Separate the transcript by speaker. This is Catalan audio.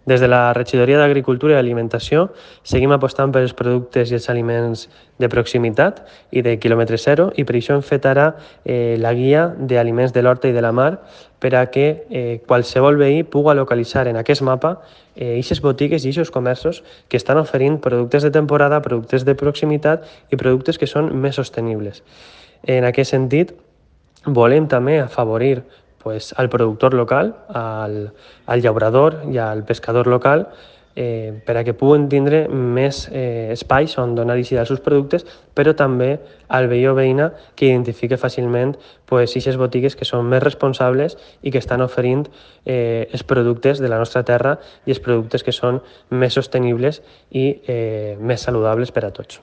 Speaker 1: Des de la Regidoria d'Agricultura i Alimentació seguim apostant per els productes i els aliments de proximitat i de quilòmetre zero, i per això hem fet ara la guia d'aliments de l'horta i de la mar per a que qualsevol veí pugui localitzar en aquest mapa aquestes botigues i aquests comerços que estan oferint productes de temporada, productes de proximitat i productes que són més sostenibles. En aquest sentit, volem també afavorir al productor local, al llaurador i al pescador local, per a que puguen tindre més espais on donar eixida als seus productes, però també al veí o veïna que identifique fàcilment aquestes botigues que són més responsables i que estan oferint els productes de la nostra terra i els productes que són més sostenibles i més saludables per a tots.